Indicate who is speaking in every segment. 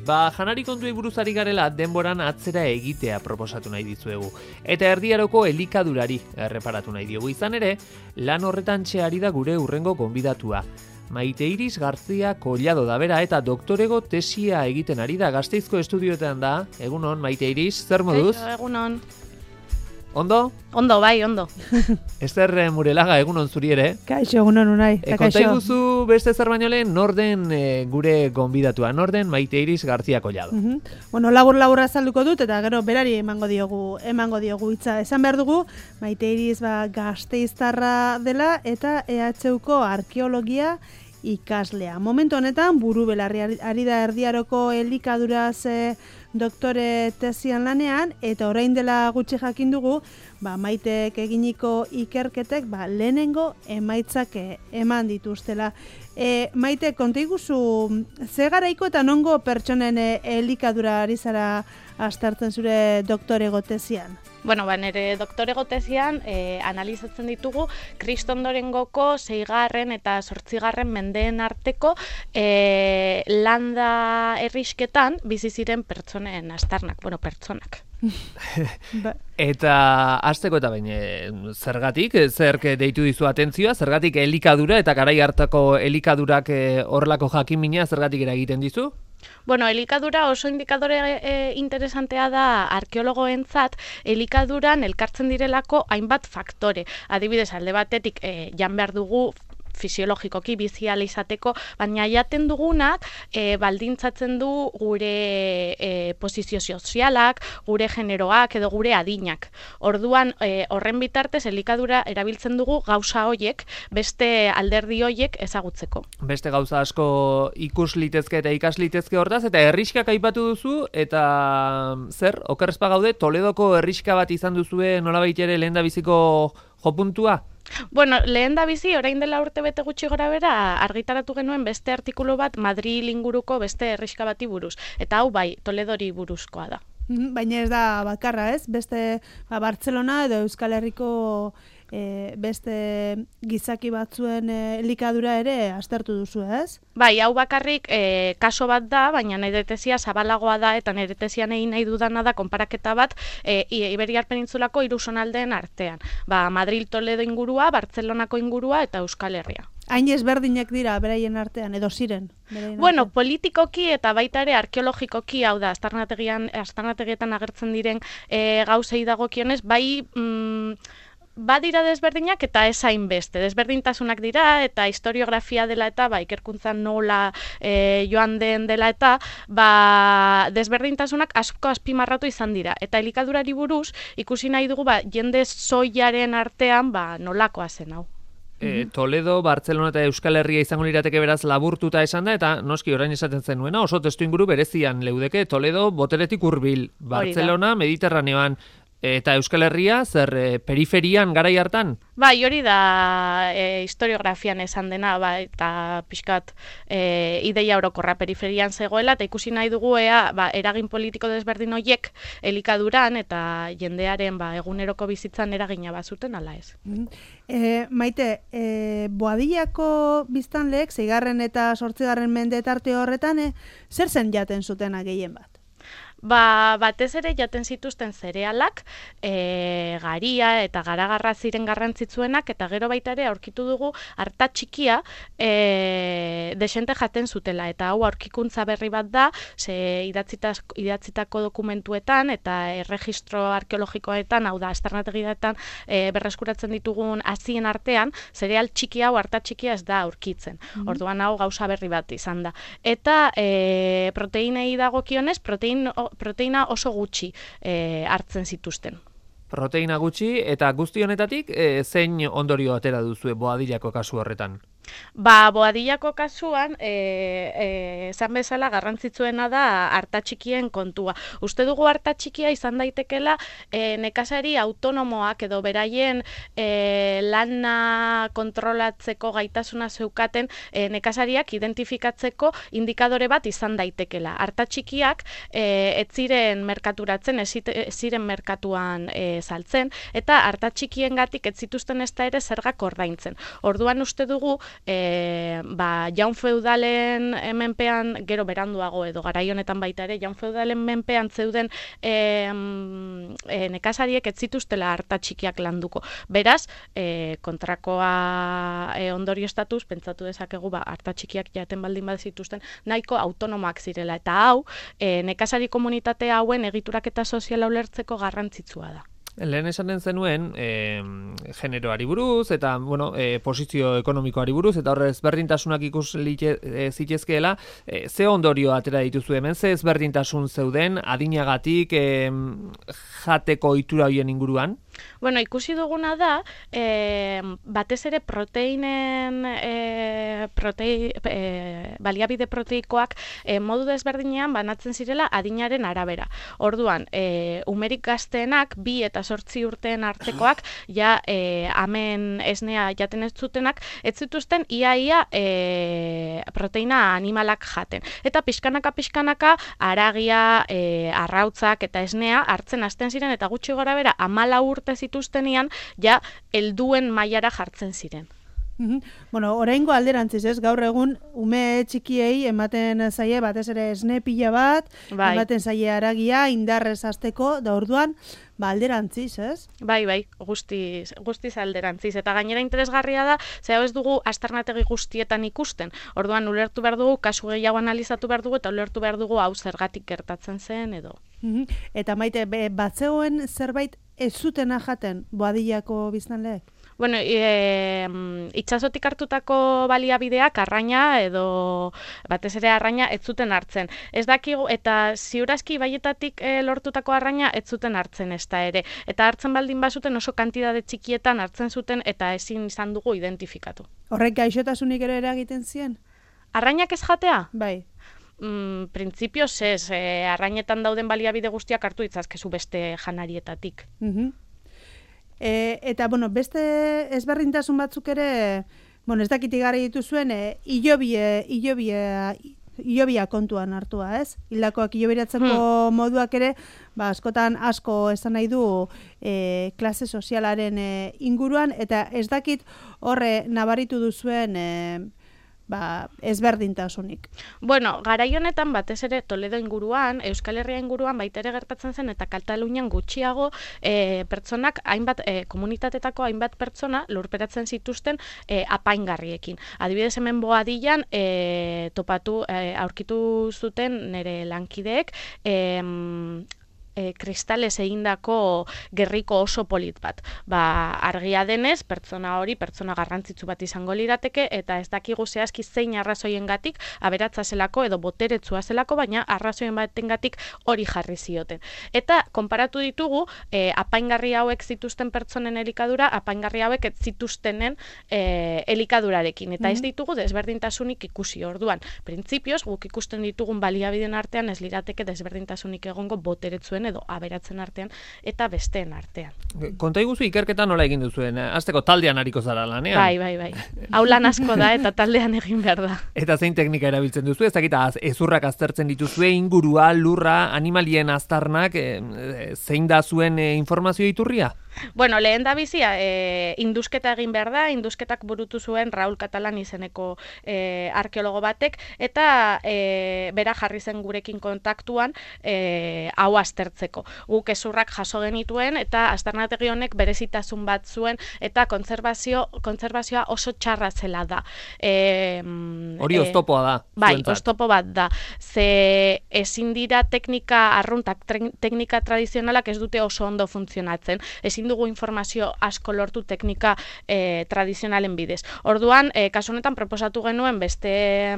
Speaker 1: janari kontuei buruz ari garela denboran atzera egitea proposatu nahi dizuegu. Eta erdiaroko elikadurari erreparatu nahi diogu. Izan ere, lan horretan ari da gure hurrengo gonbidatua. Maite Iris García Collado da bera eta doktorego tesia egiten ari da. Gasteizko estudioetan da. Egunon, Maite Iris, zer moduz?
Speaker 2: Egunon.
Speaker 1: Ondo?
Speaker 2: Ondo, bai, ondo.
Speaker 1: Ester Murelaga, egunon zuri ere.
Speaker 3: Kaixo, egunon unai.
Speaker 1: Konta iguzu beste zer baino lehen, norden gure gonbidatua, norden Maite Iris García Collado.
Speaker 3: Bueno, labur azalduko dut eta gero berari emango diogu hitza. Esan behar dugu, Maite Iris Gasteiztarra dela eta EHUko arkeologia ikaslea. Momentu honetan, buru belarri ari da erdiaroko elikaduraz doktore tesian lanean, eta orain dela gutxi jakin dugu, Maitek eginiko ikerketek lehenengo emaitzak eman dituztela. Maite, konta iguzu, ze garaiko eta nongo pertsonen elikadura ari zara aztertzen zure doktorego tesian?
Speaker 2: Bueno, nire doktorego tesian analizatzen ditugu Kristondorengoko 6. eta 8. mendeen arteko landa herrisketan bizi ziren pertsonen aztarnak, pertsonak.
Speaker 1: Eta hasteko eta baina zergatik, zerk deitu dizu atentzioa, zergatik elikadura eta garai hartako elikadurak horrelako jakimina zergatik eragiten dizu?
Speaker 2: Bueno, elikadura oso indikadore interesantea da arkeologoentzat, elikaduran elkartzen direlako hainbat faktore. Adibidez, alde batetik jan behar dugu fisiologikoki bizial izateko, baina jaten dugunak baldintzatzen du gure posizio sozialak, gure generoak edo gure adinak. Orduan, horren bitartez, elikadura erabiltzen dugu gauza hoiek, beste alderdi hoiek ezagutzeko.
Speaker 1: Beste gauza asko ikus litezke eta ikas litezke hortaz, eta herriskak aipatu duzu, eta zer, okerrezpa gaude, Toledoko herriska bat izan duzue nolabait ere lehendabiziko jopuntua?
Speaker 2: Bueno, lehendabizi, orain dela urte bete gutxi gora bera, argitaratu genuen beste artikulu bat Madril inguruko beste herriska bati buruz. Eta hau Toledori buruzkoa da.
Speaker 3: Baina ez da bakarra, ez? Beste Bartzelona edo Euskal Herriko beste gizaki batzuen elikadura ere aztertu duzu, ez?
Speaker 2: Bai, hau bakarrik kaso bat da, baina nire tesia zabalagoa da eta nire tesian egin nahi dudana da konparaketa bat Iberiar Penintzulako 3 zonaldeen artean. Madril Toledo ingurua, Bartzelonako ingurua eta Euskal Herria.
Speaker 3: Hain ezberdinak dira beraien artean, edo ziren?
Speaker 2: Bueno, politikoki eta baita ere arkeologikoki, hau da, aztarnategietan agertzen diren gauzei dagokionez, badira desberdinak eta ez hainbeste. Desberdintasunak dira eta historiografia dela eta ikerkuntzan nola joan den dela eta desberdintasunak asko azpimarratu izan dira. Eta elikadurari buruz ikusi nahi dugu jende zoiaren artean nolakoa zen hau.
Speaker 1: Toledo, Bartzelona eta Euskal Herria izango lirateke beraz laburtuta esan da, eta noski orain esaten zenuena, oso testu inguru berezian leudeke, Toledo boteretik hurbil, Bartzelona, Mediterraneoan, eta Euskal Herria, zer periferian garai hartan?
Speaker 2: Bai, hori da historiografian esan dena, eta pixkat ideia orokorra periferian zegoela, eta ikusi nahi dugu eragin politiko desberdin horiek elikaduran eta jendearen eguneroko bizitzan eragina bazuten ala ez.
Speaker 3: Maite, Boadillako biztanleek 6. eta 8. mende tarte horretan, zer zen jaten zutena gehien bat?
Speaker 2: Batez ere jaten zituzten zerealak, garia eta garagarra ziren garrantzitsuenak, eta gero baita ere aurkitu dugu arta txikia desente jaten zutela, eta hau aurkikuntza berri bat da, idatzitako dokumentuetan eta erregistro arkeologikoetan, hau da, aztarnategietan berreskuratzen ditugun hazien artean, zereal txiki hau, arta txikia ez da aurkitzen. Orduan hau gauza berri bat izan da. Eta proteinei dagokionez, proteina oso gutxi hartzen zituzten.
Speaker 1: Proteina gutxi, eta guzti honetatik zein ondorio atera duzue Boadillako kasu horretan?
Speaker 2: Boadillako kasuan, esan bezala garrantzitsuena da arta txikien kontua. Uste dugu arta txikia izan daitekela nekazari autonomoak edo beraien lana kontrolatzeko gaitasuna zeukaten nekazariak identifikatzeko indikadore bat izan daitekela. Arta txikiak ez ziren merkaturatzen, ez ziren merkatuan saltzen, eta arta txikiengatik ez zituzten ezta ere zergak ordaintzen. Orduan uste dugu jaun feudalen menpean, gero beranduago edo garai honetan baita ere, jaun feudalen menpean zeuden nekazariek ez zituztela arta txikiak landuko. Beraz, kontrakoa ondoriostatuz, pentsatu dezakegu, arta txikiak jaten baldin bazituzten, nahiko autonomoak zirela. Eta hau, nekazari komunitate hauen egituraketa soziala ulertzeko garrantzitsua da.
Speaker 1: Lehen esaten zenuen, generoari buruz, eta posizio ekonomikoari buruz, eta horre ezberdintasunak ikus zitezkeela, ze ondorio atera dituzu hemen, ze ezberdintasun zeuden, adinagatik, jateko ohitura horien inguruan?
Speaker 2: Bueno, ikusi duguna da, batez ere proteinen, baliabide proteikoak modu desberdinean banatzen zirela adinaren arabera. Orduan, umerik gazteenak, 2 eta 8 urteen artekoak, hemen esnea jaten ez zutenak, ez zituzten iaia proteina animalak jaten. Eta pixkanaka, aragia, arrautzak eta esnea hartzen hasten ziren, eta gutxi gora bera 14 urte zituztenean, helduen mailara jartzen ziren.
Speaker 3: Bueno, oraingo alderantziz, ez? Gaur egun ume txikiei ematen zaie batez ere esne pila bat, ematen zaie aragia indarrez hasteko, da orduan alderantziz, ez?
Speaker 2: Bai, guztiz alderantziz. Eta gainera interesgarria da, ze hau ez dugu aztarnategi guztietan ikusten. Orduan ulertu behar dugu, kasu gehiago analizatu behar dugu, eta ulertu behar dugu hau zergatik gertatzen zen edo.
Speaker 3: Eta Maite, batzegoen zerbait ez zutena jaten boadillako biztanleek?
Speaker 2: Bueno, itsasotik hartutako baliabideak arraina edo batez ere arraina ez zuten hartzen. Ez dakigu, eta ziurazki baietatik lortutako arraina ez zuten hartzen ezta ere. Eta hartzen baldin bazuten oso kantitate txikietan hartzen zuten eta ezin izan dugu identifikatu.
Speaker 3: Horrek gaixotasunik ere eragiten zien?
Speaker 2: Arrainak ez jatea?
Speaker 3: Bai.
Speaker 2: Printzipioz ez, arrainetan dauden baliabide guztiak hartu ditzazkezu beste janarietatik.
Speaker 3: Eta, beste ezberdintasun batzuk ere, ez dakit igarri dituzuen, hilobia kontuan hartua, ez? Hildakoak hilobiratzeko moduak ere, askotan asko esan nahi du klase sozialaren inguruan, eta ez dakit horre nabaritu duzuen ezberdintasunik.
Speaker 2: Bueno, garai honetan batez ere Toledo inguruan, Euskal Herria inguruan baita ere gertatzen zen eta Katalunian gutxiago pertsonak, komunitatetako hainbat pertsona lurperatzen zituzten apaingarriekin. Adibidez hemen Boadillan aurkitu zuten nire lankideek kristalez egindako gerriko oso polit bat. Argia denez, pertsona garrantzitsu bat izango lirateke, eta ez dakigu zehazki zein arrazoiengatik aberatsa zelako edo boteretsua zelako, baina arrazoien batengatik hori jarri zioten. Eta konparatu ditugu, apaingarri hauek zituzten pertsonen elikadura, apaingarri hauek ez zituztenen elikadurarekin. Eta ez ditugu desberdintasunik ikusi. Orduan, printzipioz, guk ikusten ditugun baliabideen artean ez lirateke desberdintasunik egongo boteretsuen edo aberatzen artean eta besteen artean.
Speaker 1: Konta iguzu ikerketan nola egin duzuen? Azteko taldean hariko zara lanean?
Speaker 2: Bai. Hau lan asko da eta taldean egin behar da.
Speaker 1: Eta zein teknika erabiltzen duzu? Ez dakita ezurrak aztertzen dituzue, ingurua, lurra, animalien aztarnak, zein da zuen informazio iturria?
Speaker 2: Bueno, lehen da bizia, indusketa egin behar da, indusketak burutu zuen Raul Catalan izeneko arkeologo batek, eta bera jarri zen gurekin kontaktuan hau aztertzeko. Guk ezurrak jaso genituen, eta aztarnategi honek berezitasun bat zuen, eta kontzervazioa oso txarra zela da.
Speaker 1: Hori oztopoa da.
Speaker 2: Bai, oztopo bat da. Ze ezin dira teknika arruntak, teknika tradizionalak ez dute oso ondo funtzionatzen. Ezin dugu informazio asko lortu teknika tradizionalen bidez. Orduan, kasu honetan proposatu genuen beste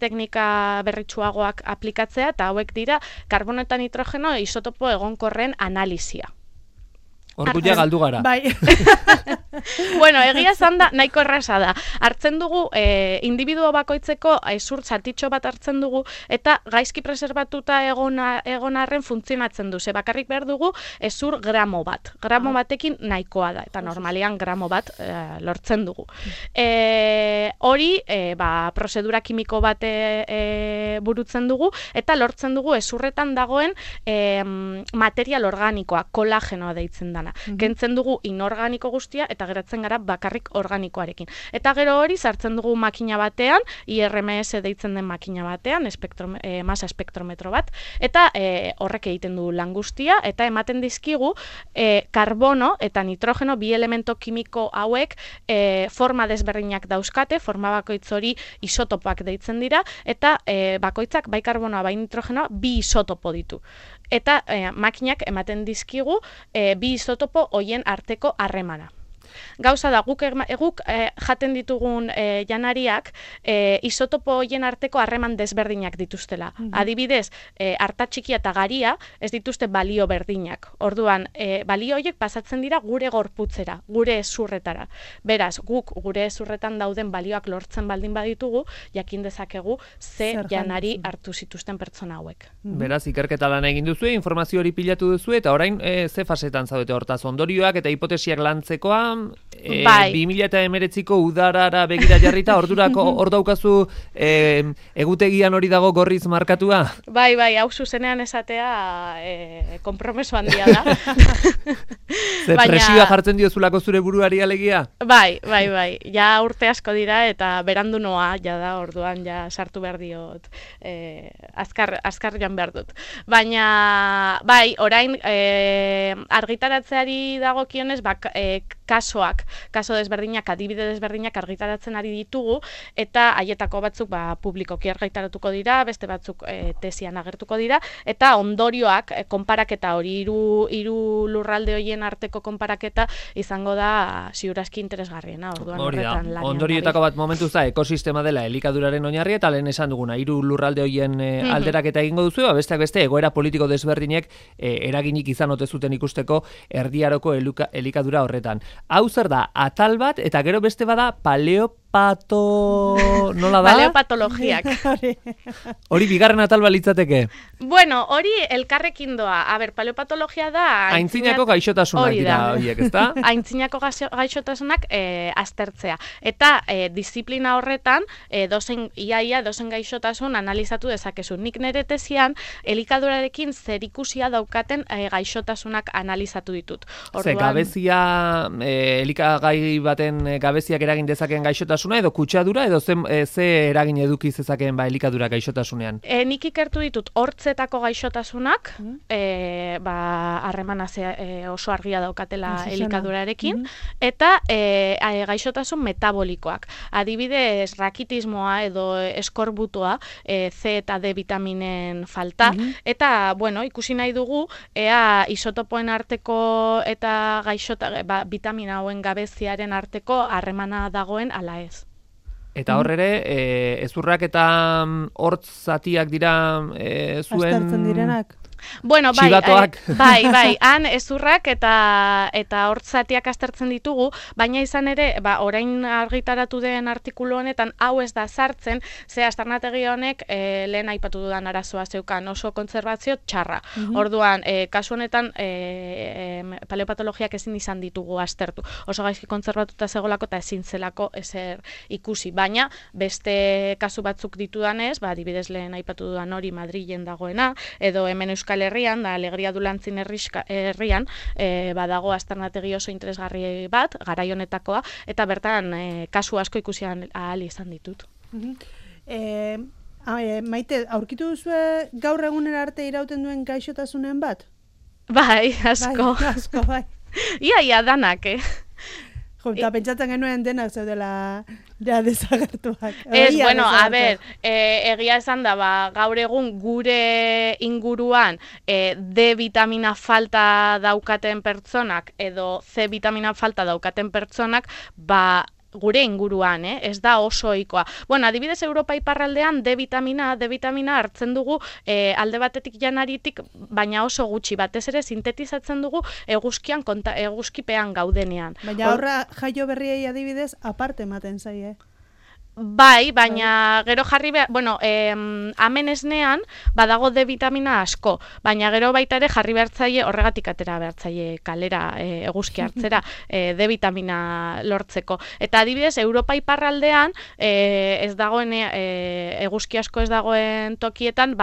Speaker 2: teknika berritsuagoak aplikatzea, eta hauek dira karbono eta nitrogeno isotopo egonkorren analizia.
Speaker 1: Orduia galdu gara.
Speaker 2: Bai. Bueno, egia esan da, nahiko erraza da. Hartzen dugu, individuo bakoitzeko ezur zatitxo bat hartzen dugu, eta gaizki preserbatuta egon arren funtzionatzen du. Ze bakarrik behar dugu ezur gramo bat. Gramo batekin nahikoa da, eta normalian gramo bat lortzen dugu. Hori, prozedura kimiko bat burutzen dugu, eta lortzen dugu ezurretan dagoen material organikoa, kolagenoa deitzen da. arremana. Kentzen dugu inorganiko guztia eta geratzen gara bakarrik organikoarekin. Eta gero hori sartzen dugu makina batean, IRMS deitzen den makina batean, masa espektrometro bat, eta horrek egiten du lan guztia, eta ematen dizkigu karbono eta nitrogeno bi elemento kimiko hauek forma desberdinak dauzkate, forma bakoitz hori isotopoak deitzen dira, eta bakoitzak bai karbonoa bai nitrogenoa bi isotopo ditu. Eta makinak ematen dizkigu bi isotopo hoien arteko harremana. Gauza da, guk jaten ditugun janariak isotopo hoien arteko harreman desberdinak dituztela. Adibidez, arta txikia eta garia ez dituzte balio berdinak. Orduan, balio horiek pasatzen dira gure gorputzera, gure ezurretara. Beraz, guk gure ezurretan dauden balioak lortzen baldin baditugu, jakin dezakegu ze janari hartu zituzten pertsona hauek.
Speaker 1: Beraz, ikerketa lan egin duzu, informazio hori pilatu duzu, eta orain ze fasetan zaudete hortaz ondorioak eta hipotesiak lantzekoa, 2019ko udarara begira jarrita, ordurako hor daukazu egutegian hori dago gorriz markatua?
Speaker 2: Bai, hau zuzenean esatea kompromeso handia da.
Speaker 1: Ze presioa jartzen diozulako zure buruari alegia?
Speaker 2: Bai, ja urte asko dira eta berandu noa, ja da, orduan ja sartu behar diot, azkar joan behar dut. Baina, bai, orain argitaratzeari dagokionez, kaso desberdinak, adibide desberdinak argitaratzen ari ditugu, eta haietako batzuk publikoki argitaratuko dira, beste batzuk tesian agertuko dira, eta ondorioak, konparaketa hori, hiru lurralde horien arteko konparaketa izango da ziurazki interesgarriena.
Speaker 1: Hori da, ondorioetako bat momentuz da, ekosistema dela elikaduraren oinarri, eta lehen esan duguna, hiru lurralde horien alderaketa egingo duzu, besteak beste, egoera politiko desberdinek eraginik izan ote zuten ikusteko erdiaroko elikadura horretan. Hau zer da, atal bat, eta gero beste bada nola da?
Speaker 2: Paleopatologiak.
Speaker 1: Hori bigarren atal balitzateke?
Speaker 2: Bueno, hori elkarrekin doa. Paleopatologia da...
Speaker 1: Aintzinako gaixotasunak dira horiek, ezta?
Speaker 2: Aintzinako gaixotasunak aztertzea. Eta disiplina horretan, iaia dozen gaixotasun analizatu dezakezu. Nik nire tesian, elikadurarekin zerikusia daukaten gaixotasunak analizatu ditut.
Speaker 1: Ze, gabezia, elikagai baten gabeziak eragin dezakeen gaixotasuna, edo kutsadura, edo ze eragin eduki zezakeen elikadura gaixotasunean?
Speaker 2: Nik ikertu ditut hortzetako gaixotasunak, harremana oso argia daukatela elikadurarekin, eta gaixotasun metabolikoak. Adibidez, rakitismoa edo eskorbutoa, C eta D vitaminen falta, eta, ikusi nahi dugu, ea isotopoen arteko eta vitamina hauen gabeziaren arteko harremana dagoen ala ez.
Speaker 1: Eta hor ere, ezurrak eta hortz zatiak dira zuen...
Speaker 3: Aztertzen direnak.
Speaker 2: Bueno, bai, han ezurrak eta hortzatiak aztertzen ditugu, baina izan ere, orain argitaratu den artikulu honetan, hau ez da sartzen, ze aztarnategi honek lehen aipatu dudan arazoa zeukan oso kontserbazio txarra. Orduan, kasu honetan, paleopatologiak ezin izan ditugu aztertu. Oso gaizki kontserbatuta zegoelako eta ezin zelako ezer ikusi. Baina, beste kasu batzuk ditudanez, adibidez lehen aipatu dudan hori Madrilen dagoena, edo hemen Euskal Herrian, da Alegria Dulantzin herrian, badago aztarnategi oso interesgarri bat, garai honetakoa, eta bertan kasu asko ikusian ahal izan ditut.
Speaker 3: Maite, aurkitu duzue gaur egunera arte irauten duen gaixotasunen bat?
Speaker 2: Bai, asko.
Speaker 3: Bai.
Speaker 2: Ia, danak,
Speaker 3: Eta pentsatzen genuen denak zeudela desagertuak.
Speaker 2: Ez, egia esan da, gaur egun gure inguruan D vitamina falta daukaten pertsonak edo C vitamina falta daukaten pertsonak, gure inguruan, ez da oso ohikoa. Adibidez Europa iparraldean D vitamina hartzen dugu alde batetik janaritik, baina oso gutxi, batez ere sintetizatzen dugu eguzkipean gaudenean.
Speaker 3: Baina horra jaio berriei adibidez aparte ematen zaie.
Speaker 2: Bai, baina gero jarri behar, hemen esnean badago D vitamina asko, baina gero baita ere jarri behartzaile horregatik atera behartzaile kalera eguzki hartzera D vitamina lortzeko. Eta adibidez, Europa iparraldean ez dagoen eguzki asko ez dagoen tokietan,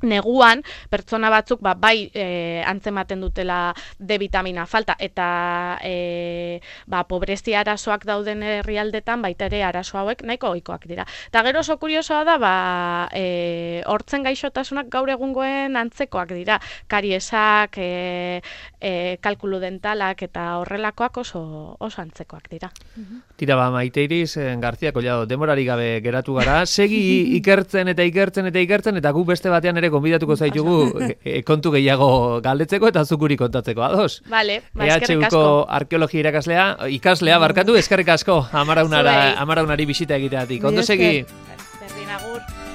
Speaker 2: neguan pertsona batzuk bai antzematen dutela D vitamina falta eta pobrezia arazoak dauden herrialdetan baita ere arazo hauek nahiko ohikoak dira. Eta gero oso kuriosoa da hortzen gaixotasunak gaur egungoen antzekoak dira. Kariesak, kalkulu dentalak eta horrelakoak oso antzekoak dira.
Speaker 1: Tira Maite Iris García Collado, denborarik gabe geratu gara, segi ikertzen eta gu beste batean ere gonbidatuko zaitugu kontu gehiago galdetzeko eta zukuri kontatzeko, ados?
Speaker 2: Vale, eskerrik asko.
Speaker 1: EHUko arkeologia ikaslea barkatu, eskerrik asko, Amaraunari bisita egiteatik. Ondo segi.
Speaker 2: Berdin agur.